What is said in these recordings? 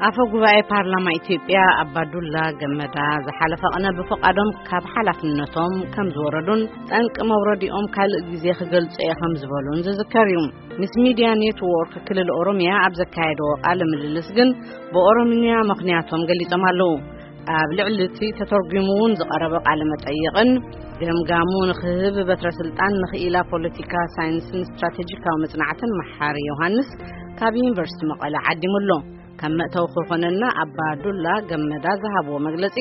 ኣፈ ጉባኤ ፓርላማ ኢትዮጵያ ኣባዱላ ገመዳ ዝሓለፈ ቅነ ብፍቓዶም ካብ ሓላፍነቶም ከም ዝወረዱን ጠንቂ መውረዲኦም ካልእ ግዜ ክገልጹ እየ ከም ዝበሉን ዝዝከር እዩ። ምስ ሚድያ ኔትዎርክ ክልል ኦሮሚያ ኣብ ዘካየድዎ ቃለ ምልልስ ግን ብኦሮምኛ ምኽንያቶም ገሊጾም ኣለዉ። ኣብ ልዕሊ እቲ ተተርጒሙ እውን ዝቐረበ ቃለ መጠይቕን ገምጋሙ ንክህብ በትረ ስልጣን ንኽኢላ ፖለቲካ ሳይንስን ስትራቴጂካዊ መጽናዕትን መሓሪ ዮሃንስ ካብ ዩኒቨርሲቲ መቐለ ዓዲሙ ኣሎ። ከም መእተዊ ክኾነና ኣባ ዱላ ገመዳ ዝሃብዎ መግለጺ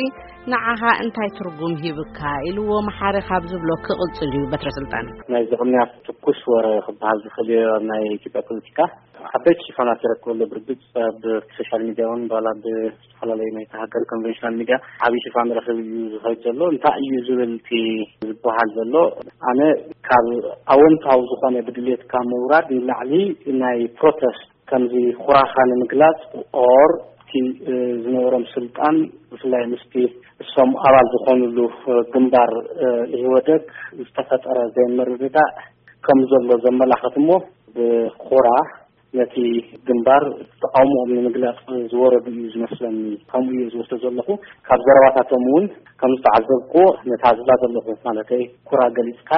ንዓኻ እንታይ ትርጉም ሂብካ ኢልዎ መሓሪ ካብ ዝብሎ ክቕጽል እዩ በትረ ስልጣን። ናይ ዝቕንያት ትኩስ ወረ ክበሃል ዝኽእል እዩ ኣብ ናይ ኢትዮጵያ ፖለቲካ። ዓበይቲ ሽፋናት ይረክበሉ። ብርግጽ ኣብ ሶሻል ሚድያ እውን ባላ ብዝተፈላለዩ ናይቲ ሃገር ኮንቨንሽናል ሚድያ ዓብዪ ሽፋን ረኽብ እዩ ዝኸይድ ዘሎ። እንታይ እዩ ዝብል እቲ ዝበሃል ዘሎ? ኣነ ካብ ኣወንታዊ ዝኾነ ብድሌትካ ምውራድ ንላዕሊ ናይ ፕሮተስት ከምዚ ኩራኻ ንምግላጽ ኦር እቲ ዝነበሮም ስልጣን ብፍላይ ምስቲ እሶም ኣባል ዝኾኑሉ ግንባር ኢህወደግ ዝተፈጠረ ዘይምርድዳእ ከም ዘሎ ዘመላኸት እሞ ብኹራ ነቲ ግንባር ተቃውሞኦም ንምግላጽ ዝወረዱ እዩ ዝመስለኒ። ከምኡ እዩ ዝወስዶ ዘለኹ። ካብ ዘረባታቶም እውን ከም ዝተዓዘብኩ ነታ ዝብላ ዘለኹ ማለተይ ኩራ ገሊጽካ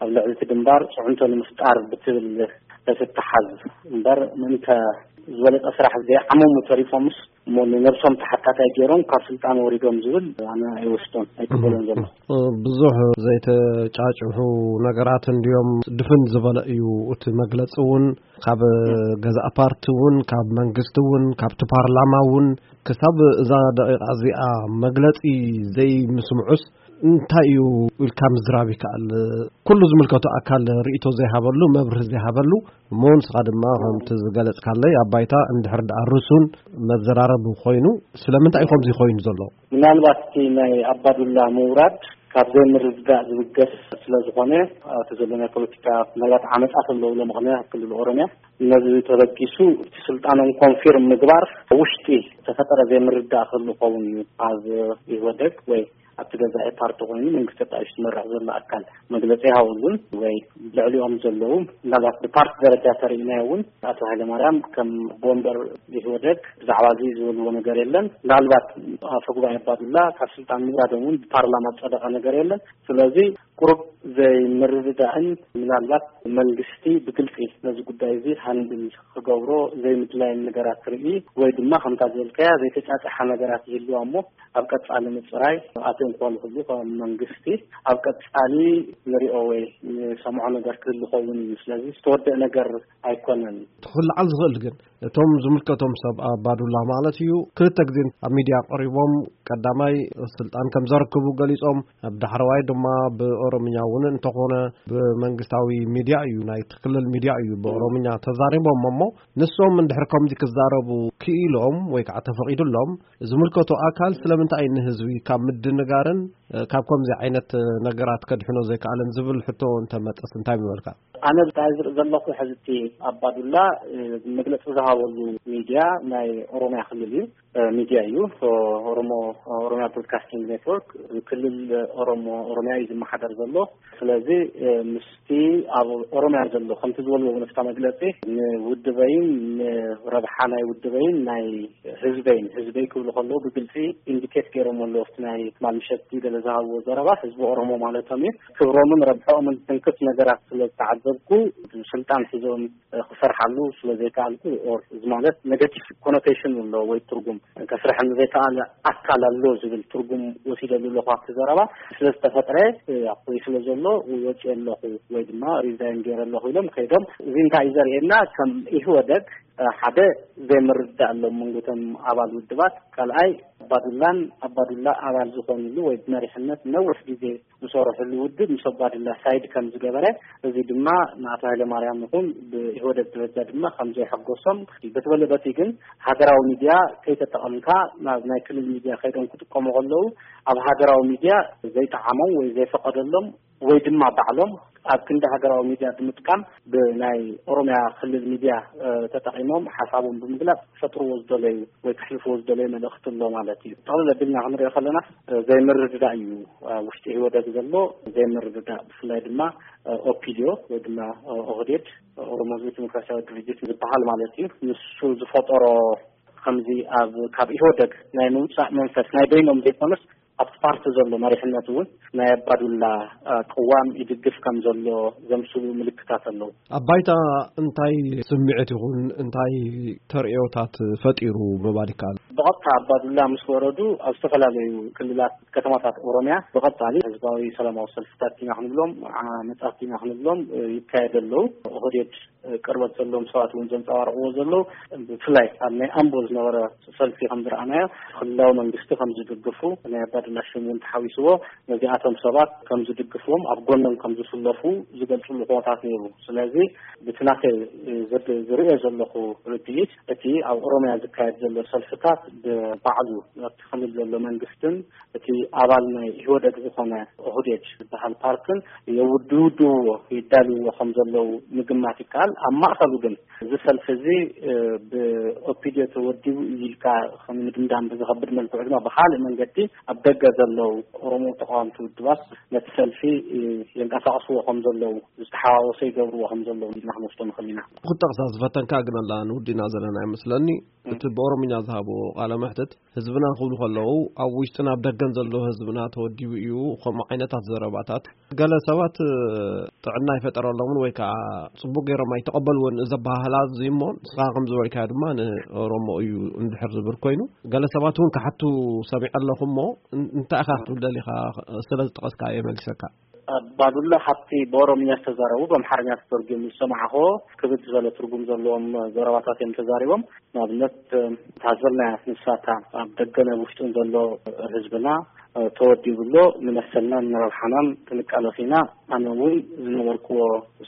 ኣብ ልዕሊ እቲ ግንባር ጽዕንቶ ንምፍጣር ብትብል ተትተሓዝ እምበር ምእንተ ዝበለጸ ስራሕ ዘይዓመሙ ተሪፎምስ እሞ ንነብሶም ተሓታታይ ገይሮም ካብ ስልጣን ወሪዶም ዝብል ኣነ ኣይወስዶን ኣይቅበሎን ዘለኹ። ብዙሕ ዘይተጫጭሑ ነገራት እንድዮም ድፍን ዝበለ እዩ እቲ መግለፂ እውን ካብ ገዛእ ፓርቲ እውን ካብ መንግስቲ እውን ካብቲ ፓርላማ እውን ክሳብ እዛ ደቂቃ እዚኣ መግለፂ ዘይምስምዑስ እንታይ እዩ ኢልካ ምዝራብ ይከኣል? ኩሉ ዝምልከቱ ኣካል ርእይቶ ዘይሃበሉ መብርህ ዘይሃበሉ እሞ ንስኻ ድማ ከምቲ ዝገለጽካለይ ኣብ ባይታ እንድሕር ደኣ ርሱን መዘራረቢ ኮይኑ ስለምንታይ እዩ ከምዚ ኮይኑ ዘሎ? ምናልባት እቲ ናይ ኣባዱላ ምውራድ ካብ ዘይምርድዳእ ዝብገስ ስለ ዝኾነ ኣብቲ ዘሎ ናይ ፖለቲካ ምናልባት ዓመጻ ተለዉ ሎምቕነ ኣብ ክልል ኦሮምያ ነዚ ተበጊሱ እቲ ስልጣኖም ኮንፊርም ምግባር ውሽጢ ተፈጠረ ዘይምርዳእ ክህሉ ክኸውን እዩ ኣብ ኢህወደግ ወይ ኣብቲ ገዛኢ ፓርቲ ኮይኑ መንግስቲ ኣጣይሽ ዝመርሕ ዘሎ ኣካል መግለፂ ይሃበሉን ወይ ልዕሊኦም ዘለዉ ምናልባት ብፓርቲ ደረጃ ተርእናዮ እውን ኣቶ ሃይለማርያም ከም ቦንበር ኢህወደግ ብዛዕባ እዚ ዝበልዎ ነገር የለን። ምናልባት ኣፈ ጉባኤ ኣባዱላ ካብ ስልጣን ምውራዶም እውን ብፓርላማ ዝፀደቐ ነገር የለን። ስለዚ ቁሩብ ዘይምርድዳእን ምናልባት መንግስቲ ብግልፂ ነዚ ጉዳይ እዚ ሃንድል ክገብሮ ዘይምድላይን ነገራት ትርኢ ወይ ድማ ከምታ ዝበልካያ ዘይተጫጨሓ ነገራት ይህልዋ እሞ ኣብ ቀጻሊ ምጽራይ ኣትዮም ክኾኑ ክብሉ ከም መንግስቲ ኣብ ቀጻሊ ንሪኦ ወይ ንሰምዖ ነገር ክህሉ ኸውን እዩ። ስለዚ ዝተወደእ ነገር ኣይኮነን። ክልዓል ዝኽእል ግን እቶም ዝምልከቶም ሰብ ኣባዱላ ማለት እዩ ክልተ ግዜ ኣብ ሚድያ ቀሪቦም ቀዳማይ ስልጣን ከም ዘረክቡ ገሊጾም ኣብ ዳሕረዋይ ድማ ብኦሮምኛ እውን እንተኾነ ብመንግስታዊ ሚድያ እዩ ናይቲ ክልል ሚድያ እዩ ብኦሮምኛ ተዛሪቦም እሞ ንሶም እንድሕር ከምዚ ክዛረቡ ክኢሎም ወይ ከዓ ተፈቒዱሎም ዝምልከቶ ኣካል ስለምንታይ ንህዝቢ ካብ ምድንጋርን ካብ ከምዚ ዓይነት ነገራት ከድሕኖ ዘይከኣለን ዝብል ሕቶ እንተመፀስ እንታይ ምበልካ? ኣነ ብታይ ዝርኢ ዘለኹ ሕዚ እቲ ኣባዱላ መግለፂ ዝሃበሉ ሚድያ ናይ ኦሮምያ ክልል እዩ። ሚድያ እዩ። ኦሮሞ ኦሮሚያ ብሮድካስቲንግ ኔትወርክ ክልል ኦሮሞ ኦሮሚያ እዩ ዝመሓደር ዘሎ። ስለዚ ምስቲ ኣብ ኦሮሚያ ዘሎ ከምቲ ዝበልዎ እውን ኣብታ መግለፂ ንውድበይን ንረብሓ ናይ ውድበይን ናይ ህዝበይን ህዝበይ ክብሉ ከለዉ ብግልፂ ኢንዲኬት ገይሮም ኣለዉ። ኣብቲ ናይ ትማል ምሸት ገለ ዝሃብዎ ዘረባ ህዝቢ ኦሮሞ ማለቶም እዩ። ክብሮምን ረብሐኦምን ዝትንክፍ ነገራት ስለ ዝተዓዘብኩ ስልጣን ሒዞም ክሰርሓሉ ስለ ዘይከኣልኩ ኦር እዚ ማለት ኔጋቲቭ ኮኖቴሽን ኣሎ ወይ ትርጉም ከስርሐኒ ዘይከኣለ ኣካል ኣሎ ዝብል ትርጉም ወሲደሉ ኣለኹ ኣብቲ ዘረባ ስለ ዝተፈጥረ ወይ ስለ ዘሎ ወፂኦ ኣለኹ ወይ ድማ ሪዛይን ገይረ ኣለኹ ኢሎም ከይዶም። እዚ እንታይ እዩ ዘርእየና? ከም ኢህወደግ ሓደ ዘይምርዳእ ኣሎ መንጎቶም ኣባል ውድባት። ካልኣይ ኣባዱላን ኣባዱላ ኣባል ዝኾንሉ ወይ ብመሪሕነት ነዊሕ ግዜ ዝሰርሕሉ ውድብ ምስ ኣባዱላ ሳይድ ከም ዝገበረ፣ እዚ ድማ ንኣቶ ሃይለማርያም ይኹን ብኢህወደግ ደረጃ ድማ ከም ዘየሐጎሶም፣ በቲ በለ በቲ ግን ሃገራዊ ሚድያ ከይተጠቐምካ ናብ ናይ ክልል ሚድያ ከይዶም ክጥቀሙ ከለዉ ኣብ ሃገራዊ ሚድያ ዘይጠዓሞም ወይ ዘይፈቀደሎም ወይ ድማ ባዕሎም ኣብ ክንዲ ሃገራዊ ሚድያ ብምጥቃም ብናይ ኦሮሚያ ክልል ሚድያ ተጠቒሞም ሓሳቦም ብምግላፅ ክፈጥርዎ ዝደለዩ ወይ ከሕልፍዎ ዝደለዩ መልእኽቲ ኣሎ ማለት እዩ። ጠቕልል ኣቢልና ክንሪኦ ከለና ዘይምርድዳእ እዩ ኣብ ውሽጢ ኢህወደግ ዘሎ። ዘይምርድዳእ ብፍላይ ድማ ኦፒዲዮ ወይ ድማ ኦህዴድ ኦሮሞ ህዝቢ ዲሞክራሲያዊ ድርጅት ዝበሃል ማለት እዩ። ንሱ ዝፈጠሮ ከምዚ ኣብ ካብ ኢህወደግ ናይ ምውፃእ መንፈስ ናይ በይኖም ዘይኮነስ ኣብቲ ፓርቲ ዘሎ መሪሕነት እውን ናይ ኣባዱላ ቅዋም ይድግፍ ከም ዘሎ ዘምስሉ ምልክታት ኣለዉ። ኣብ ባይታ እንታይ ስምዒት ይኹን እንታይ ተርእዮታት ፈጢሩ ምባል ይከኣል? ብቐጥታ ኣባዱላ ምስ ወረዱ ኣብ ዝተፈላለዩ ክልላት ከተማታት ኦሮሚያ ብቐጻሊ ህዝባዊ ሰላማዊ ሰልፍታት ኢና ክንብሎም ዓመጻት ኢና ክንብሎም ይካየደ ኣለዉ። ኦህዴድ ቅርበት ዘለዎም ሰባት እውን ዘንጸባርቕዎ ዘለዉ ብፍላይ ኣብ ናይ ኣምቦ ዝነበረ ሰልፊ ከም ዝረኣናዮ ክልላዊ መንግስቲ ከም ዝድግፉ ናይ ኣባዱላ ሽም እውን ተሓዊስዎ ነዚኣቶም ሰባት ከም ዝድግፍዎም ኣብ ጎኖም ከም ዝስለፉ ዝገልጽሉ ኩነታት ነይሩ። ስለዚ ብቲ ናተይ ዝርእዮ ዘለኹ ርድኢት እቲ ኣብ ኦሮሚያ ዝካየድ ዘሎ ሰልፍታት ብባዕሉ ኣብቲ ክልል ዘሎ መንግስትን እቲ ኣባል ናይ ኢህወደግ ዝኾነ ኦህዴድ ዝበሃል ፓርትን የውድውድዎ ይዳልዎ ከም ዘለዉ ምግማት ይከኣል። ኣብ ማእኸሉ ግን እዚ ሰልፊ እዚ ብኦፒዲዮ ተወዲቡ እዩ ኢልካ ከም ምድምዳም ብዝኸብድ መልክዑ ድማ ብካልእ መንገዲ ኣብ ደገ ዘለዉ ኦሮሞ ተቃወምቲ ውድባት ነቲ ሰልፊ የንቀሳቕስዎ ከም ዘለዉ ዝተሓዋወሰ ይገብርዎ ከም ዘለዉ ኢልና ክንወስዶ ንኽእል ኢና። ክጠቕሳ ዝፈተንካ ግን ኣላ ንውዲና ዘለና ይመስለኒ። እቲ ብኦሮምኛ ዝሃብዎ ቃለ መሕትት ህዝብና ክብሉ ከለዉ ኣብ ውሽጥን ኣብ ደገን ዘሎ ህዝብና ተወዲቡ እዩ። ከምኡ ዓይነታት ዘረባታት ገለ ሰባት ጥዕና ኣይፈጠረሎምን ወይ ከዓ ጽቡቅ ገይሮም ኣይተቐበልዎን እዚ ኣበሃህላ እዚ እሞ ንስኻ ከም ዝበልካዮ ድማ ንኦሮሞ እዩ እንድሕር ዝብል ኮይኑ ገለ ሰባት እውን ክሓቱ ሰሚዐ ኣለኹ እሞ እንታይ ኢኻ ክትብል ደሊኻ? ስለ ዝጠቐስካ እየ መልሰካ። ኣባዱላ ካብቲ ብኦሮምኛ ዝተዛረቡ ብኣምሓርኛ ተተርጉሙ ዝሰማዕኹዎ ክብድ ዝበለ ትርጉም ዘለዎም ዘረባታት እዮም ተዛሪቦም። ንኣብነት እታ ዝበልናያ ንሳታ ኣብ ደገን ኣብ ውሽጥን ዘሎ ህዝብና ተወዲቡ ኣሎ። ንመሰልናን ንረብሓናን ክንቃለስ ኢና። ኣነ እውን ዝነበርክዎ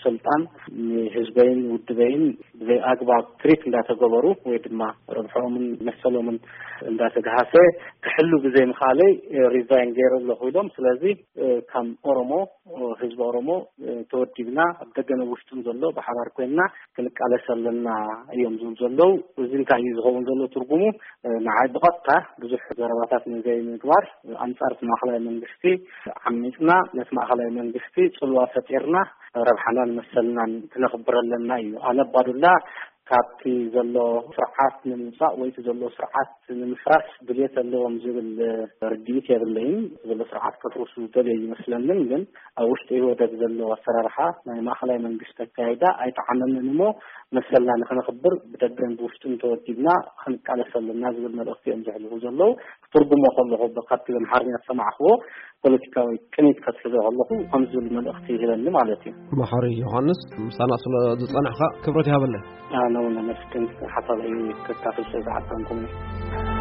ስልጣን ንህዝበይን ውድበይን ብዘይ ኣግባብ ትሪት እንዳተገበሩ ወይ ድማ ረብሐኦምን መሰሎምን እንዳተግሃሰ ክሕሉ ብዘይ ምኻለይ ሪዛይን ገይረ ኣለኹ ኢሎም። ስለዚ ከም ኦሮሞ ህዝቢ ኦሮሞ ተወዲብና ኣብ ደገን ኣብ ውሽጥን ዘሎ ብሓባር ኮይንና ክንቃለስ ኣለና እዮም ዝብሉ ዘለዉ። እዚ እንታይ እዩ ዝኸውን ዘሎ ትርጉሙ? ንዓይ ብቐጥታ ብዙሕ ዘረባታት ንዘይምግባር ኣንጻር እቲ ማእኸላይ መንግስቲ ዓሚፅና ነቲ ማእኸላይ መንግስቲ ጽልዋ ፈጢርና ረብሓናን መሰልናን ክነኽብር ኣለና እዩ። ኣነ ኣባዱላ ካብቲ ዘሎ ስርዓት ንምውፃእ ወይ እቲ ዘሎ ስርዓት ንምፍራስ ድልየት ኣለዎም ዝብል ርድኢት የብለይን። ዘሎ ስርዓት ከፍርሱ ደልዮ ይመስለንን ግን ኣብ ውሽጢ ኢህወደግ ዘሎ ኣሰራርሓ ናይ ማእኸላይ መንግስቲ ኣካይዳ ኣይጠዓመንን እሞ መሰልና ንክንኽብር ብደገን ብውሽጥን ተወዲብና ክንቃለስ ኣለና ዝብል መልእኽቲ እዮም ዘሕልፉ ዘለዉ። ክትርጉሞ ከለኹ ካብቲ ብኣምሓርኛ ዝሰማዕኽዎ ፖለቲካዊ ቅኒት ከትሕዞ ከለኹ ከም ዝብል መልእኽቲ ይህበኒ ማለት እዩ። መሓሪ ዮሃንስ ምሳና ስለ ዝጸናሕካ ክብረት ይሃበለይ። ኣነ እውን ኣመስግን ሓሳበይ ከካፍል ስለ ዝዓደምኩምኒ።